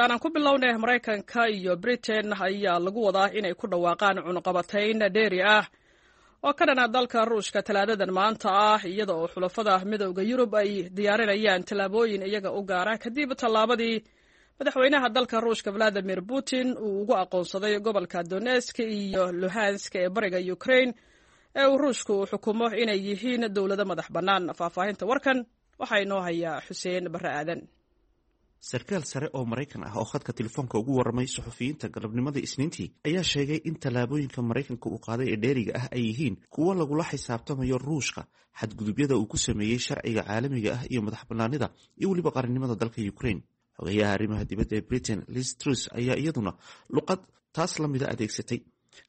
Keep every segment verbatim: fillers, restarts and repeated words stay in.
Aan ku bilownay Maraykanka iyo Britain ayaa lagu wadaa inay ku dhawaaqaan cunuqabatayn dheeri ah oo ka dhana dalka Ruushka Talaadadan maanta ah, iyada oo xulafada Midowda Yurub ay diyaarinayaan tallaabooyin iyaga u gaara kadib tallaabadii madaxweynaha dalka Ruushka Vladimir Putin uu ugu aqoonsaday gobolka Donetsk iyo Luhansk ee bariga Ukraine ee uu Ruushku xukumo inay yihiin dowlado madax bannaan. Faahfaahinta warkan waxaa inoo hayaa Xuseen Barre Aadan. Sarkaal sare oo Maraykan ah oo khadka telefoonka ugu warramay suxufiyiinta galabnimadii Isniintii ayaa sheegay in tallaabooyinka Maraykanka uu qaaday ee dheeriga ah ay yihiin kuwo lagula xisaabtamayo Ruushka xadgudubyada uu ku sameeyey sharciga caalamiga ah iyo madax bannaanida iyo weliba qarannimada dalka Ukraine. Xogayaha arrimaha dibadda ee Britain, Liz Truss, ayaa iyaduna luqad taas la mida adeegsatay,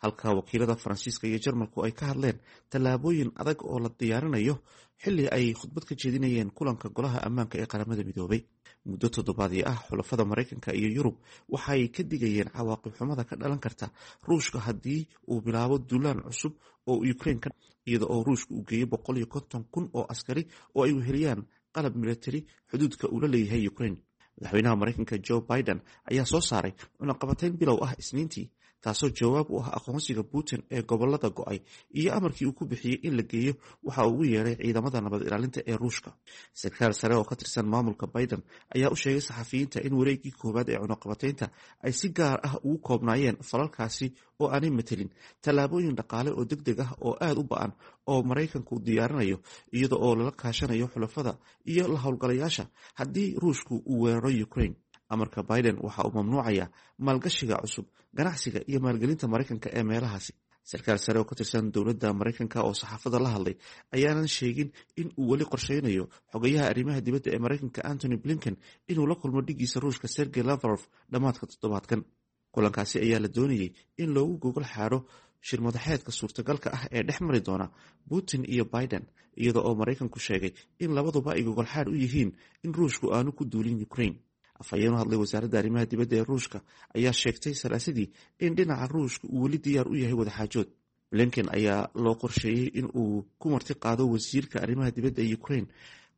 halka wakiilada Faransiiska iyo Jarmalku ay ka hadleen tallaabooyin adag oo la diyaarinayo xilli ay khudbad ka jeedinayeen kulanka Golaha Ammaanka ee Qaramada Midoobay. Muddo toddobaadii ah, xulafada Maraykanka iyo Yurub waxay ka digayeen cawaaqib xumada ka dhalan karta Ruushka haddii uu bilaabo duulaan cusub oo Ukraine, iyada oo Ruushka uu geeyo boqol iyo konton kun oo askari oo ay weheliyaan qalab militari xuduudka uu la leeyahay Ukraine. Madaxweynaha Maraykanka Joe Biden ayaa soo saaray cunaqabatayn bilow ah Isniintii, taasoo jawaab u ah aqoonsiga Putin ee gobolada go'ay iyo amarkii uu ku bixiyey in la geeyo waxa uu ugu yeeray ciidamada nabad ilaalinta ee Ruushka. Sarkaal sare oo ka tirsan maamulka Biden ayaa u sheegay saxafiyiinta in wareeggii koowaad ee cunaqabataynta ay si gaar ah ugu koobnaayeen falalkaasi oo aanay matelin tallaabooyin dhaqaale oo deg deg ah oo aada u ba'an oo Maraykanku diyaarinayo, iyada oo lala kaashanayo xulafada iyo la howlgalayaasha haddii Ruushku uu weeraro Ukraine. Amarka Biden waxa uu mamnuucayaa maalgashiga cusub, ganacsiga iyo maalgelinta Maraykanka ee meelahaasi. Sarkaal sare oo ka tirsan dowladda Maraykanka oo saxaafadda la hadlay ayaanan sheegin in uu weli qorsheynayo xogayaha arrimaha dibadda ee Maraykanka Antony Blinken inuu la kulmo dhigiisa Ruushka Sergey Lavrov dhammaadka toddobaadkan. Kulankaasi ayaa la doonayey in loogu gogol xaadho shirmadaxeedka suurtagalka ah ee dhex mari doona Putin iyo Biden, iyada oo Maraykanku sheegay in labaduba ay gogolxaadh u yihiin in Ruushku aanu ku duulin Ukraine. Afhayeen u hadlay wasaaradda arrimaha dibadda ee Ruushka ayaa sheegtay Salaasadii in dhinaca Ruushka uu weli diyaar u yahay wadaxaajood. Blinken ayaa loo qorsheeyey in uu ku marti qaado wasiirka arrimaha dibadda ee Ukraine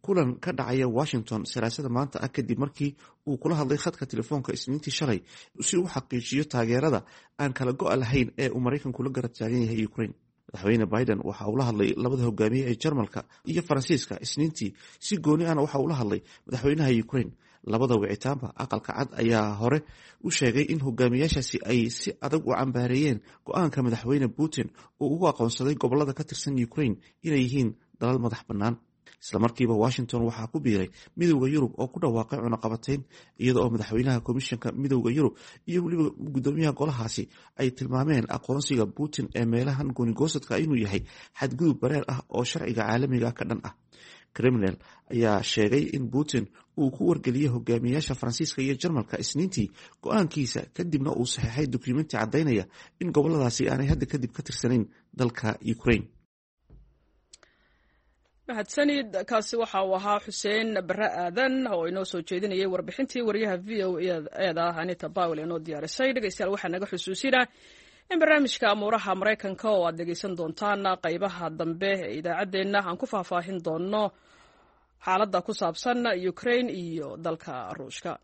kulan ka dhacaya Washington Salaasada maanta ah, kadib markii uu kula hadlay khadka telefoonka Isniintii shalay, si uu xaqiijiyo taageerada aan kala go'a lahayn ee uu Maraykanku la garab taagan yahay Ukraine. Madaxweyne Biden waxa uu la hadlay labada hogaamiye ee Jarmalka iyo Faransiiska Isniintii, si gooni ahna waxa uu la hadlay madaxweynaha Ukraine. Labada wicitaanba, Aqalka Cad ayaa hore u sheegay in hogaamiyaashaasi ay si adag u cambaareeyeen go'aanka madaxweyne Putin oo ugu aqoonsaday gobolada ka tirsan Ukraine inay yihiin dalal madax bannaan. Islamarkiiba Washington waxaa ku biiray Midowda Yurub oo ku dhawaaqay cunaqabatayn, iyada oo madaxweynaha Komishanka Midowda Yurub iyo weliba gudoomiyaha golahaasi ay tilmaameen aqoonsiga Putin ee meelahan goonigoosadka inuu yahay xadgudub bareer ah oo sharciga caalamiga ka dhan ah. Kremlin ayaa sheegay in Putin uu ku wargeliyey hogaamiyaasha Faransiiska iyo Jarmalka Isniintii go'aankiisa, kadibna uu saxeexay dukumenti caddaynaya in goboladaasi aanay hadda kadib ka tirsanayn dalka Ukraine. Mahadsanid. Kaasi waxa uu ahaa Xuseen Barre Aadan oo inoo soo jeedinayay warbixintii wariyaha V O E da Anita Powell inoo diyaarisay. Dhegeystayaal, waxaa naga xusuusinaa in barnaamijka amuuraha Maraykanka oo aad dhegeysan doontaan qaybaha dambe ee idaacaddeenna aan ku faahfaahin doono xaaladda ku saabsan Ukraine iyo dalka Ruushka.